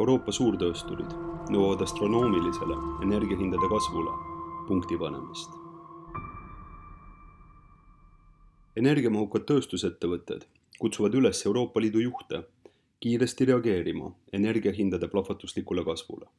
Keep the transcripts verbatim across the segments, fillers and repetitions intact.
Euroopa suurtöösturid nõuavad astronoomilisele energiahindade kasvule punkti panemist. Energiamahukad tööstusettevõtted kutsuvad üles Euroopa Liidu juhte kiiresti reageerima energiahindade plahvatuslikule kasvule.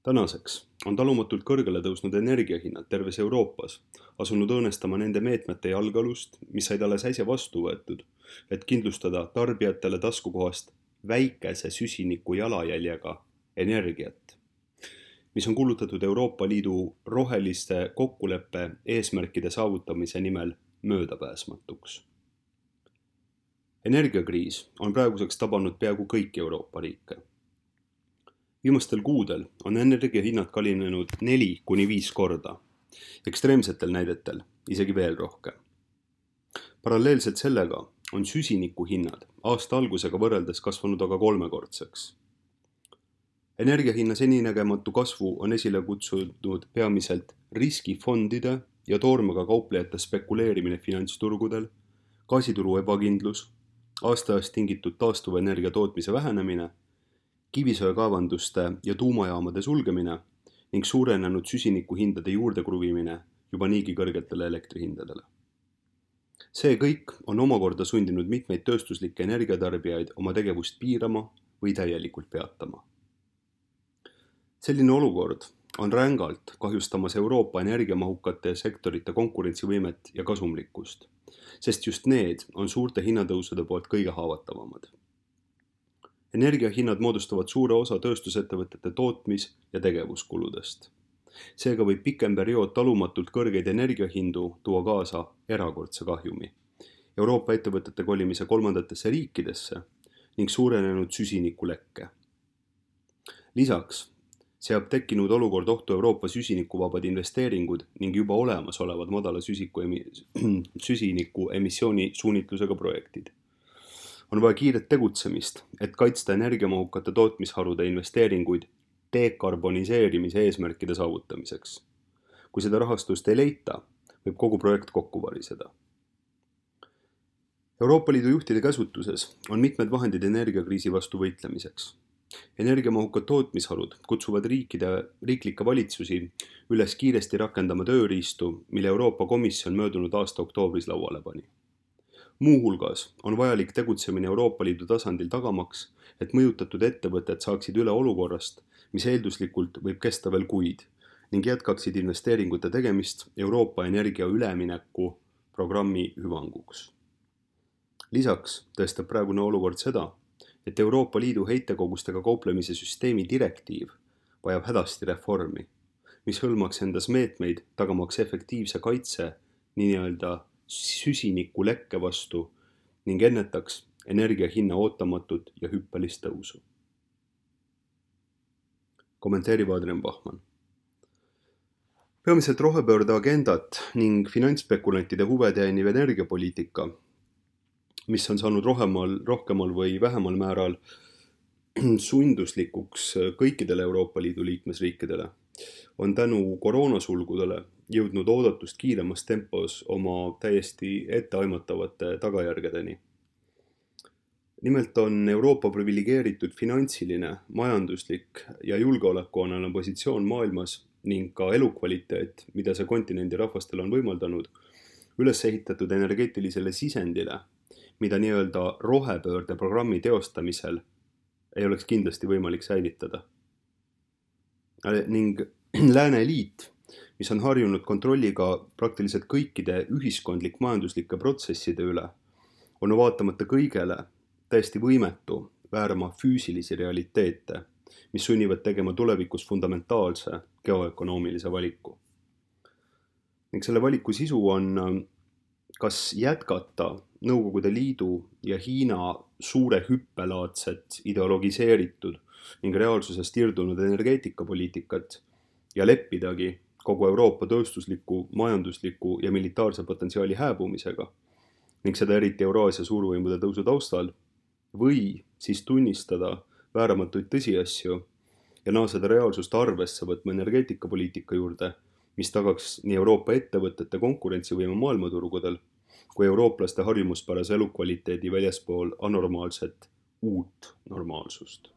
Tänaseks on talumatult kõrgele tõusnud energiahinnad terves Euroopas asunud õõnestama nende meetmete jalgealust, mis said alles äsja vastu võetud, et kindlustada tarbijatele taskukohast väikese süsiniku jalajäljega energiat, mis on kuulutatud Euroopa Liidu roheliste kokkuleppe eesmärkide saavutamise nimel möödapääsmatuks. Energiakriis on praeguseks tabanud peaaegu kõiki Euroopa riike. Viimastel kuudel on energiahinnad kallinenud neli kuni viis korda, ekstreemsetel näidetel isegi veel rohkem. Paralleelselt sellega on süsiniku hinnad aasta algusega võrreldes kasvanud aga kolmekordseks. Energiahinna seninägematu kasvu on esile kutsunud peamiselt riskifondide ja toormega kauplejate spekuleerimine finantsturgudel, gaasituru ebakindlus, aastaajast tingitud taastuvenergia tootmise vähenemine, kivisöekaevanduste ja tuumajaamade sulgemine ning suurenenud süsiniku hindade juurde kruvimine juba niigi kõrgetele elektrihindadele. See kõik on omakorda sundinud mitmeid tööstuslikke energiatarbijaid oma tegevust piirama või täielikult peatama. Selline olukord on rängalt kahjustamas Euroopa energiamahukate sektorite konkurentsivõimet ja kasumlikkust, sest just need on suurte hinnatõusude poolt kõige haavatavamad. Energiahinnad moodustavad suure osa tööstusettevõtete tootmis- ja tegevuskuludest. Seega võib pikem periood talumatult kõrgeid energiahindu tuua kaasa erakordse kahjumi, Euroopa ettevõtete kolimise kolmandatesse riikidesse ning suurenenud süsinikulekke. Lisaks seab tekkinud olukord ohtu Euroopa süsinikuvabad investeeringud ning juba olemasolevad madala süsiniku emissiooni suunitlusega projektid. On vaja kiiret tegutsemist, et kaitsta energiamahukate tootmisharude investeeringuid dekarboniseerimise eesmärkide saavutamiseks. Kui seda rahastust ei leita, võib kogu projekt kokku variseda. Euroopa Liidu juhtide käsutuses on mitmed vahendid energiakriisi vastu võitlemiseks. Energiamahukad tootmisharud kutsuvad riikide, riiklikke valitsusi üles kiiresti rakendama tööriistu, mille Euroopa Komisjon möödunud aasta oktoobris lauale pani. Muuhulgas on vajalik tegutsemine Euroopa Liidu tasandil tagamaks, et mõjutatud ettevõtted saaksid üle olukorrast, mis eelduslikult võib kesta veel kuid ning jätkaksid investeeringute tegemist Euroopa energia ülemineku programmi hüvanguks. Lisaks tõestab praegune olukord seda, et Euroopa Liidu heitekogustega kauplemise süsteemi direktiiv vajab hädasti reformi, mis hõlmaks endas meetmeid tagamaks efektiivse kaitse nii-öelda süsiniku lekke vastu ning ennetaks energiahinna ootamatut ja hüppelist tõusu. Kommenteerib Adrian Bachmann. Peamiselt rohepöörde agendat ning finantsspekulantide huve teeniv energiapoliitika, mis on saanud rohemal, rohkemal või vähemal määral sunduslikuks kõikidele Euroopa Liidu liikmesriikidele, on tänu koroonasulgudele jõudnud oodatust kiiremas tempos oma täiesti etteaimatavate tagajärgedeni. Nimelt on Euroopa priviligeeritud finantsiline, majanduslik ja julgeolekualane positsioon maailmas ning ka elukvaliteet, mida see kontinendi rahvastel on võimaldanud, üles ehitatud energeetilisele sisendile, mida nii-öelda rohepöörde programmi teostamisel ei oleks kindlasti võimalik säilitada. Ning Lääne eliit, mis on harjunud kontrolliga praktiliselt kõikide ühiskondlik-majanduslike protsesside üle, on vaatamata kõigele täiesti võimetu väärama füüsilisi realiteete, mis sunnivad tegema tulevikus fundamentaalse geoökonoomilise valiku. Ning selle valiku sisu on kas jätkata Nõukogude Liidu ja Hiina suure hüppelaadset ideologiseeritud ning reaalsusest irdunud energeetikapoliitikat ja leppidagi kogu Euroopa tööstusliku, majandusliku ja militaarse potentsiaali hääbumisega ning seda eriti Euraasia suurvõimude tõusu taustal või siis tunnistada vääramatuid tõsiasju ja naaseda reaalsust arvesse võtma energeetikapoliitika juurde, mis tagaks nii Euroopa ettevõtete konkurentsivõime maailmaturgudel kui eurooplaste harjumuspärase elukvaliteedi väljaspool anormaalset uut normaalsust.